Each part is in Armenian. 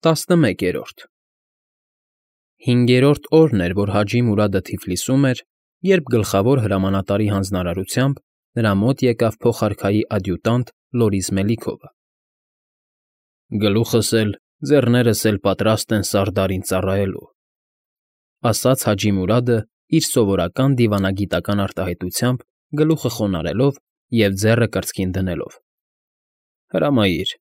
11-րդ Հինգերորդ օրն էր, որ Հաջի Մուրադը Թիֆլիսում էր, երբ գլխավոր հրամանատարի հանձնարարությամբ նրա մոտ եկավ փոխարքայի ադյուտանտ Լորիս Մելիքովը։ «Գլուխս էլ, ձեռներս էլ պատրաստ են Սարդարին ծառայելու», ասաց Հաջի Մուրադը իր սովորական դիվանագիտական արտահայտությամբ գլուխը խոնարհելով և ձեռը կրծքին դնելով։ «Հրամայիր»,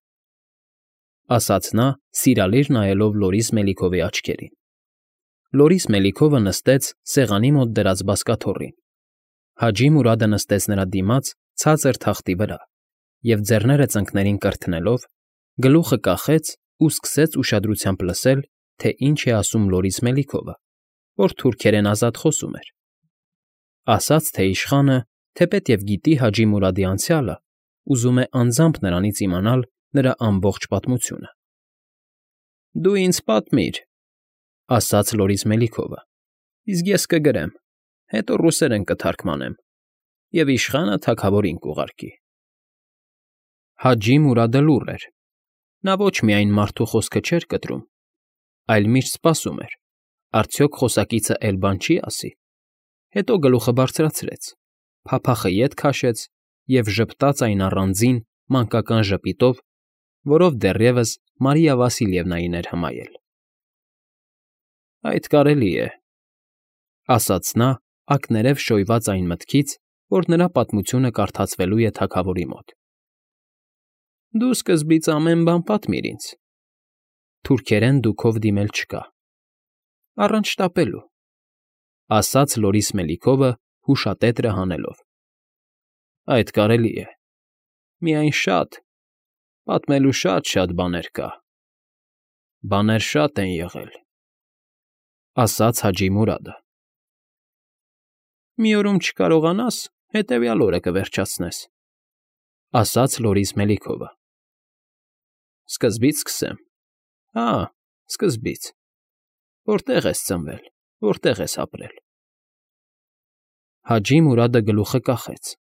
ասաց նա, սիրալիր նայելով Լորիս Մելիքովի աչքերին։ Լորիս Մելիքովը նստեց սեղանի մոտ դրած բազկաթոռին։ Հաջի Մուրադը նստեց նրա դիմաց ցածր թախտի վրա և, ձեռները ծնկներին կրթնելով, գլուխը կախեց ու սկսեց ուշադրությամբ լսել, թե ինչ է ասում Լորիս Մելիքովը, որ թուրքերեն ազատ խոսում էր։ Ասաց, թե իշխանը, թեպետև գիտի Հաջի Մուրադի անցյալը, ուզում է անձամբ նրանից իմանալ նրա ամբողջ պատմությունը։ «Դու ինձ պատմիր», ասաց Լորիս Մելիքովը, «իսկ ես կգրեմ, հետո ռուսերեն կթարգմանեմ, և իշխանը թագավորին կուղարկի»։ Հաջի Մուրադը լուռ էր։ Նա ոչ միայն մարդու խոսքը չէր կտրում, այլ միշտ սպասում էր, արդյոք խոսակիցը էլի բան չի ասի։ Հետո գլուխը բարձրացրեց, փափախը ետ քաշեց և ժպտաց այն առանձին, մանկական ժպիտով, որով դեռևս Մարիա Վասիլևնային էր հմայել։ «Այդ կարելի է», ասաց նա, ակներև շոյված այն մտքից, որ նրա պատմությունը կարդացվելու է թագավորի մոտ։ «Դու սկզբից ամեն բան պատմիր ինձ։ Թուրքերեն դուքով դիմել չկա։ Առանց շտապելու», ասաց Լորիս Մելիքովը հուշատետրը հանելով։ «Այդ կարելի է։ Միայն շատ, պատմելու շատ բաներ կա։ Բաներ շատ են եղել», ասաց Հաջի Մուրադը։ «Մի օրում չկարողանաս, հետևյալ օրը կվերջացնես», ասաց Լորիս Մելիքովը։ «Սկզբից սկսեմ։ Հա, սկզբից. որտեղ ես ծնվել, որտեղ ես ապրել»։ Հաջի Մուրադը գլուխը կախեց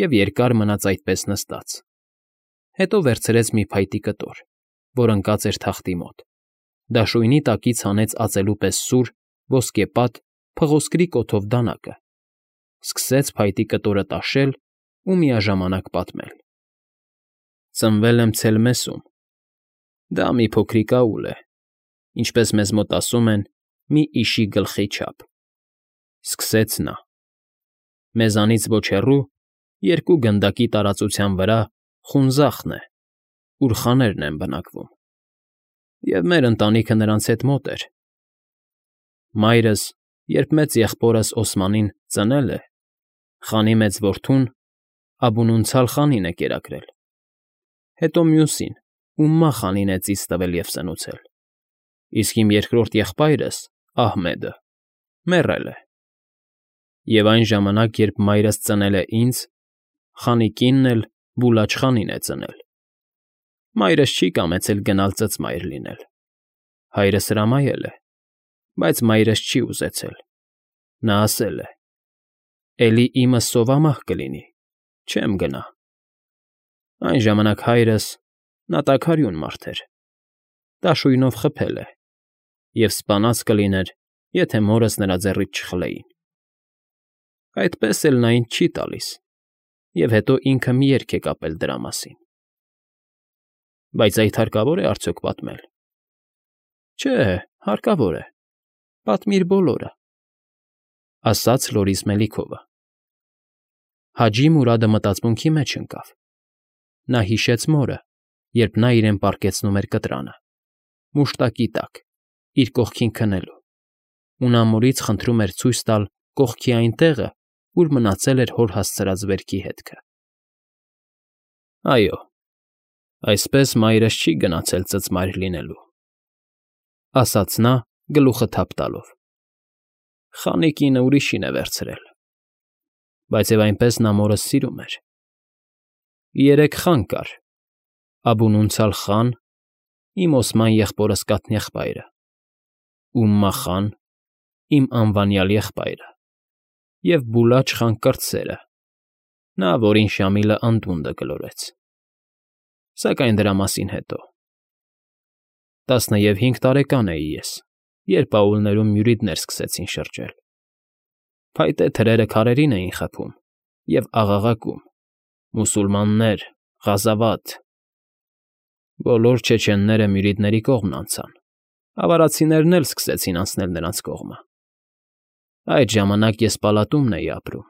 և երկար մնաց այդպես նստած։ Հետո վերցրեց մի փայտի կտոր, որ ընկած էր թախտի մոտ, դաշույնի տակից հանեց ածելու պես սուր, ոսկեպատ, փղոսկրի կոթով դանակը, սկսեց փայտի կտորը տաշել ու միաժամանակ պատմել։ «Ծնվել եմ Ցելմեսում։ Դա մի փոքրիկ աուլ է, ինչպես մեզ մոտ ասում են, մի իշի գլխի չափ», սկսեց նա։ «Մեզանից ոչ հեռու, 2 գնդակի տարածության վրա Խունզախն է, ուր խաներն են բնակվում, և մեր ընտանիքը նրանց հետ մոտ էր։ Մայրս, երբ մեծ եղբորս Օսմանին ծնել է, խանի մեծ որդուն Աբունունցալ խանին է կերակրել, հետո մյուսին,Ումմա խանին է ծիծ տվել և սնուցել, իսկ իմ երկրորդ եղբայրս՝ Ահմեդը, մեռել է։ Եվ այն ժամանակ, երբ մայրս ծնել է ինձ, խանի կինն էլ Բուլաչ խանին է ծնել։ Մայրս չի կամեցել գնալ ծծմայր լինել։ Հայրս հրամայել է, բայց մայրս չի ուզեցել։ Նա ասել է. «Էլի իմը սովամահ կլինի, չեմ գնա»։ Այն ժամանակ հայրս, նա տաքարյուն մարդ էր, դաշույնով խփել է և սպանած կլիներ, եթե մորս նրա ձեռից չխլեին։ Այդպես էլ նա ինձ չի տալիս, և հետո ինքը մի երգ է կապել դրա մասին։ Բայց այդ հարկավո՞ր է արդյոք պատմել։ Չէ, հարկավոր է, պատմիր բոլորը, ասաց Լորիս Մելիքովը։ Հաջի Մուրադը մտածմունքի մեջ ընկավ։ Նա հիշեց մորը, երբ նա իրեն պառկեցնում էր կտրանը, մուշտակի տակ, իր կողքին քնելու, ու նա մորից խնդրում էր ցույց տալ կողքի այն տեղը, ուր մնացել էր հոր հասցրած վերքի հետքը։ Այո, այսպես մայրս չի գնացել ծծմայր լինելու, ասաց նա, գլուխը թափ տալով։ Խանի կինը ուրիշին է վերցրել, բայց և այնպես նա մորս սիրում էր։ 3 խան կար. Աբունունցալ խան, իմ Օսման եղբորս կաթնեղբայրը,Ումմա խան, իմ անվանյալ եղբայրը, և Բուլաչ խան կրտսերը, նա, որին Շամիլը անդունդը գլորեց։ Սակայն դրա մասին հետո։ 15 տարեկան էի ես, երբ աուլներում մյուրիդներ սկսեցին շրջել։ Փայտե թրերը քարերին էին խփում և աղաղակում. «Մուսուլմաններ, Ղազավաթ»։ Բոլոր չեչենները մյուրիդների կողմն անցան, ավարացիներն էլ սկսեցին անցնել նրանց կողմը։ Այդ ժամանակ ես պալատումն էի ապրում։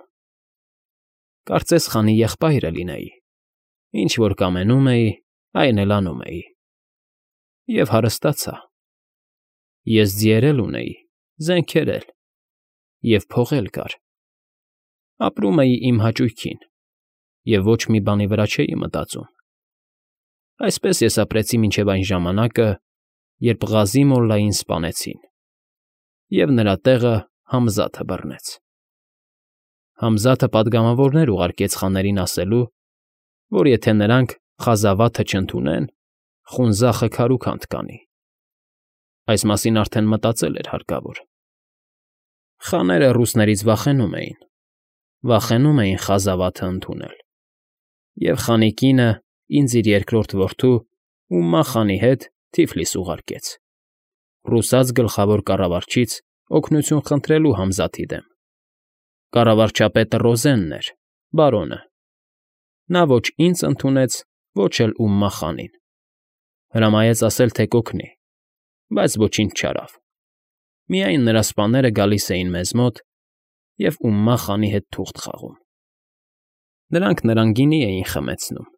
Կարծես խանի եղբայրը լինեի, ինչ որ կամենում էի, այն էլ անում էի։ Եվ հարստացա։ Ես ձիեր էլ ունեի, զենքեր էլ, և փող էլ կար։ Ապրում էի իմ հաճույքին և ոչ մի բանի վրա չէի մտածում։ Այսպես ես ապրեցի մինչև այն ժամանակը, երբ Ղազի մոլլային սպանեցին, և նրա տեղը Համզաթը բռնեց։ Համզաթը պատգամավորներ ուղարկեց խաներին ասելու, որ եթե նրանք Ղազավաթը չընդունեն, Խունզախը քարուքանդ կանի։ Այս մասին արդեն մտածել էր հարկավոր։ Խաները ռուսներից վախենում էին Ղազավաթը ընդունել, և խանի կինը ինձ իր երկրորդ որդուՈւմմա խանի հետ Թիֆլիս ուղարկեց, ռուսաց գլխավոր կառավարչից օգնություն խնդրելու Համզաթի դեմ։ Կառավարչապետը Ռոզենն էր, բարոնը։ Նա ոչ ինձ ընդունեց, ոչ էլՈւմմա խանին։ Հրամայեց ասել, թե կօգնի, բայց ոչինչ չարավ։ Միայն նրա սպաները գալիս էին մեզ մոտ ևՈւմմա խանի հետ թուղթ խաղում։ Նրանք նրան գինի էին խմեցնում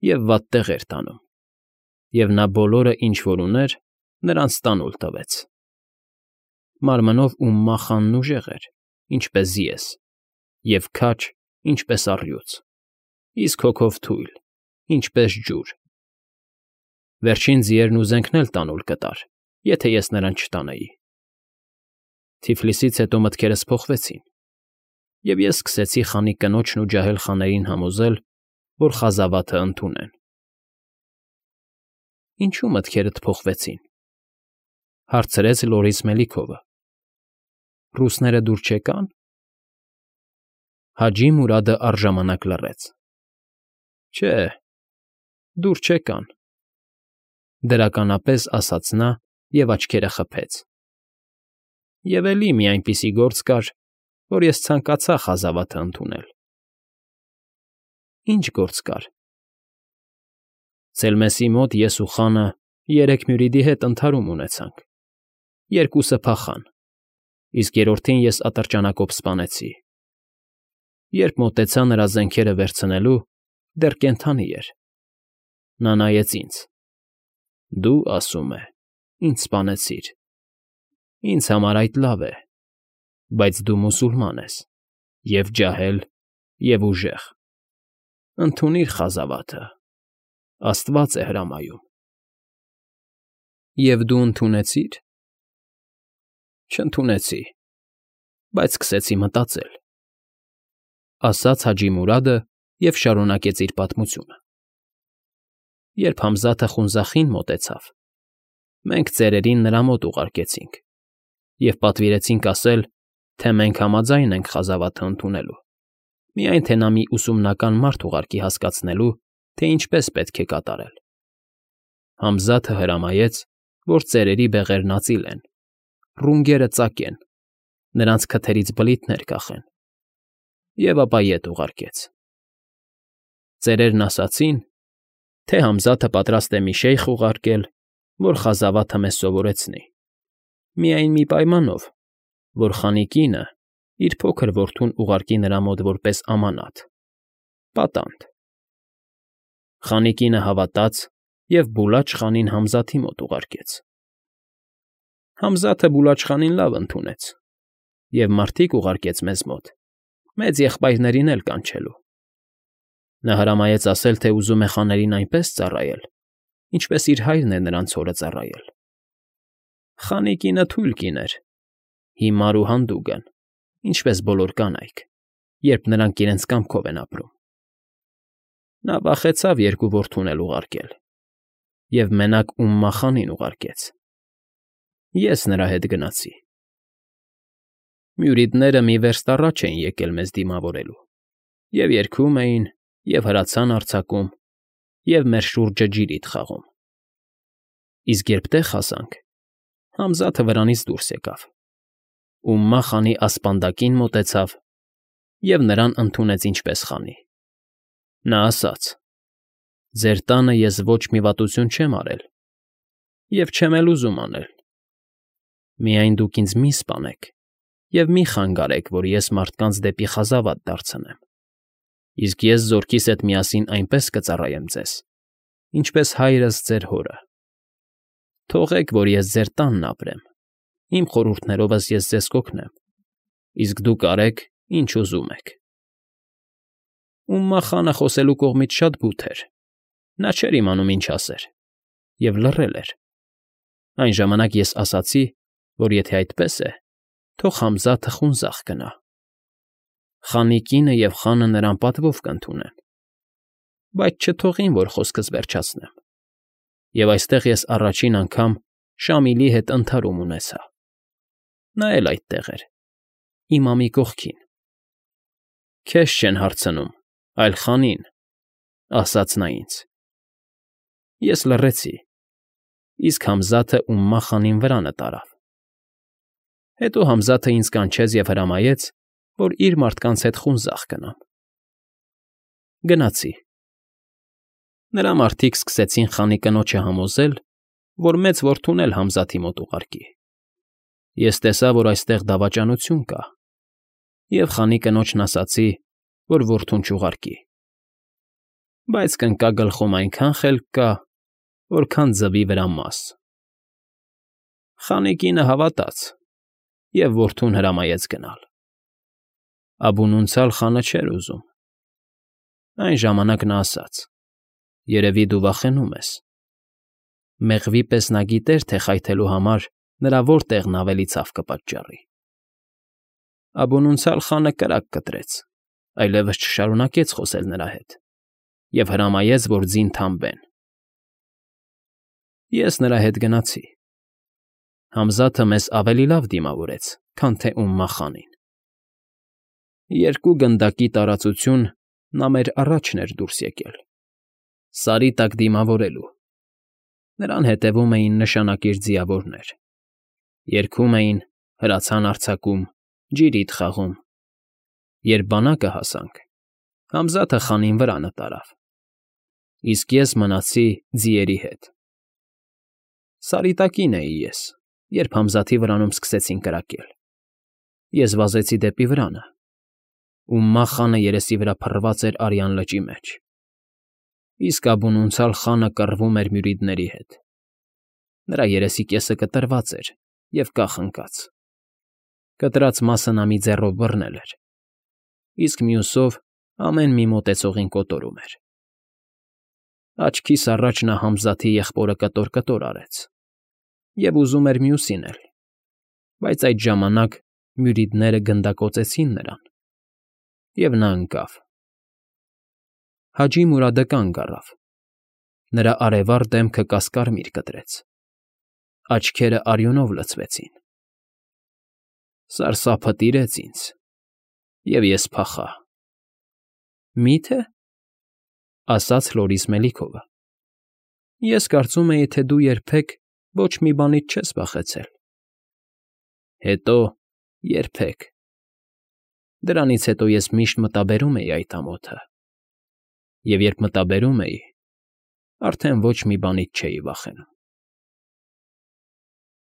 և վատ տեղեր տանում, և նա բոլորը, ինչ որ ուներ, նրանց տանուլ տվեց։ ՄարմնովՈւմմա խանն ուժեղ էր, ինչպես ես, և քաջ, ինչպես առյուծ, իսկ հոգով թույլ, ինչպես ջուր։ Վերջին ձիերն ու զենքն էլ տանուլ կտար, եթե ես նրան չտանեի։ Թիֆլիսից հետո մտքերս փոխվեցին, և ես սկսեցի խանի կնոջն ու ջահել խաներին համոզել, որ Ղազավաթը ընդունեն։ Ինչո՞ւ մտքերդ փոխվեցին,֊ հարցրեց Լորիս Մելիքովը։ Ռուսները դուր չեկա՞ն։ Հաջի Մուրադը առժամանակ լռեց։ Չէ, դուր չեկան,֊ դրականապես ասաց նա և աչքերը խփեց։ Եվ էլի մի այնպիսի գործ կար, որ ես ցանկացա Ղազավաթը ընդունել։ Ի՞նչ գործ կար։ Ցելմեսի մոտ ես ու խանը 3 մյուրիդի հետ ընդհարում ունեցանք։ Երկուսը փախան, իսկ երրորդին ես ատրճանակով սպանեցի։ Երբ մոտեցա նրա զենքերը վերցնելու, դեռ կենդանի էր։ Նա նայեց ինձ. «Դու, ասում է, ինձ սպանեցիր։ Ինձ համար այդ լավ է, բայց դու մուսուլման ես, և ջահել, և ուժեղ։ Ընդունիր Ղազավաթը, Աստված է հրամայում»։ Եվ դու ընդունեցի՞ր։ Չընդունեցի, բայց սկսեցի մտածել,֊ ասաց Հաջի Մուրադը և շարունակեց իր պատմությունը։ Երբ Համզաթը Խունզախին մոտեցավ, մենք ծերերին նրա մոտ ուղարկեցինք և պատվիրեցինք ասել, թե մենք համաձայն ենք Ղազավաթը ընդունելու, միայն թե նա մի ուսումնական մարդ ուղարկի հասկացնելու, թե ինչպես պետք է կատարել։ Համզաթը հրամայեց, որ ծերերի բեղերն ածիլեն, ռունգերը ծակեն, նրանց քթերից բլիթներ կախեն, և ապա ետ ուղարկեց։ Ծերերն ասացին, թե Համզաթը պատրաստ է մի շեյխ ուղարկել, որ Ղազավաթը մեզ սովորեցնի, միայն մի պայմանով, որ խանի կինը իր փոքր որդուն ուղարկի նրա մոտ որպես ամանաթ, պատանդ։ Խանի կինը հավատաց և Բուլաչ խանին Համզաթի մոտ ուղարկեց։ Համզաթը Բուլաչ խանին լավ ընդունեց և մարդիկ ուղարկեց մեզ մոտ, մեծ եղբայրներին էլ կանչելու։ Նա հրամայեց ասել, թե ուզում է խաներին այնպես ծառայել, ինչպես իր հայրն է նրանց հորը ծառայել։ Խանի կինը թույլ կին էր, հիմար ու հանդուգն, ինչպես բոլոր կանայք, երբ նրանք իրենց կամքով են ապրում։ Նա վախեցավ երկու որդուն էլ ուղարկել և մենակՈւմմա խանին ուղարկեց։ Ես նրա հետ գնացի։ Մյուրիդները մի վերստ առաջ էին եկել մեզ դիմավորելու, և երգում էին, և հրացան արձակում, և մեր շուրջը ջիրիդ խաղում։ Իսկ երբ տեղ հասանք, Համզաթը վրանից դուրս եկավ,Ումմա խանի ասպանդակին մոտեցավ և նրան ընդունեց ինչպես խանի։ Նա ասաց. «Ձեր տանը ես ոչ մի վատություն չեմ արել և չեմ էլ ուզում անել։ Միայն դուք ինձ մի սպանեք և մի խանգարեք, որ ես մարդկանց դեպի խազավատ դարձնեմ, իսկ ես զորքիս հետ միասին այնպես կծառայեմ ձեզ, ինչպես հայրս ձեր հորը։ Թողեք, որ ես ձեր տանն ապրեմ, իմ խորհուրդներովս ես ձեզ կօգնեմ, իսկ դուք արեք, ինչ ուզում եք»։Ումմա խանը խոսելու կողմից շատ բութ էր, նա չէր իմանում ինչ ասեր և լռել էր։ Այն ժամանակ ես ասացի, որ եթե այդպես է, թող Համզաթը խունձախ գնա։ Խանի կինը և խանը նրան պատվով կընդունեն, բայց չթողին, որ խոսքս վերջացնեմ։ Եվ այստեղ ես առաջին անգամ Շամիլի հետ ընդհարում ունեցա։ Նա էլ այդտեղ էր, իմ ամի կողքին։ «Քեզ չեն հարցնում, այլ խանին», ասաց նա ինձ։ Ես լռեցի, իսկ ՀամզաթըՈւմմա խանին վրանը տարավ։ Հետո Համզաթը ինձ կանչեց և հրամայեց, որ իր մարդկանց հետ խունձախ գնամ։ Գնացի։ Նրա մարդիկ սկսեցին խանի կնոջը համոզել, որ մեծ որդուն էլ Համզաթի մոտ ուղարկի։ Ես տեսա, որ այստեղ դավաճանություն կա, և խանի կնոջն ասացի, որ որդուն չուղարկի։ Բայց կնկա գլխում այնքան խելք կա, որքան ձվի վրա մաս։ Խանի կինը հավատաց և որդուն հրամայեց գնալ։ Աբունունցալ խանը չէր ուզում։ Այն ժամանակ նա ասաց. «Երևի դու վախենում ես»։ Մեղվի պես նա գիտեր, թե խայթելու համար նրա որ տեղն ավելի ցավ կպատճառի։ Աբունունցալ խանը կրակ կտրեց, այլևս չշարունակեց խոսել նրա հետ և հրամայեց, որ ձին թամբեն։ Ես նրա հետ գնացի։ Համզաթը մեզ ավելի լավ դիմավորեց, քան թեՈւմմա խանին։ 2 գնդակի տարածություն նա մեր առաջն էր դուրս եկել, Սարի տակ դիմավորելու։ Նրան հետևում էին նշանակիր ձիավորներ։ Երգում էին, հրացան արձակում, ջիրիդ խաղում։ Երբ բանակը հասանք, Համզաթը խանին վրանը տարավ, իսկ ես մնացի ձիերի հետ։ Սարի տակին էի ես, երբ Համզաթի վրանում սկսեցին կրակել։ Ես վազեցի դեպի վրանը։Ումմա խանը երեսի վրա փռված էր արյան լճի մեջ, իսկ Աբունունցալ խանը կռվում էր մյուրիդների հետ։ Նրա երեսի կեսը կտրված էր և կախ ընկած։ Կտրած մասը նա մի ձեռով բռնել էր, իսկ մյուսով ամեն մի մոտեցողին կոտորում էր։ Աչքիս առաջ նա Համզաթի եղբորը կտոր֊կտոր արեց և ուզում էր մյուսին էլ, բայց այդ ժամանակ մյուրիդները գնդակոծեցին նրան, և նա ընկավ։ Հաջի Մուրադը կանգ առավ։ Նրա արևառ դեմքը կասկարմիր կտրեց, աչքերը արյունով լցվեցին։ Սարսափը տիրեց ինձ, և ես փախա։ «Մի՞թե,֊ ասաց Հլորիս Մելիքովը,֊ ես կարծում էի, թե դու երբեք ոչ մի բանից չես վախեցել»։ Հետո երբեք։ Դրանից հետո ես միշտ մտաբերում էի այդ ամոթը, և երբ մտաբերում էի, արդեն ոչ մի բանից չէի վախենում։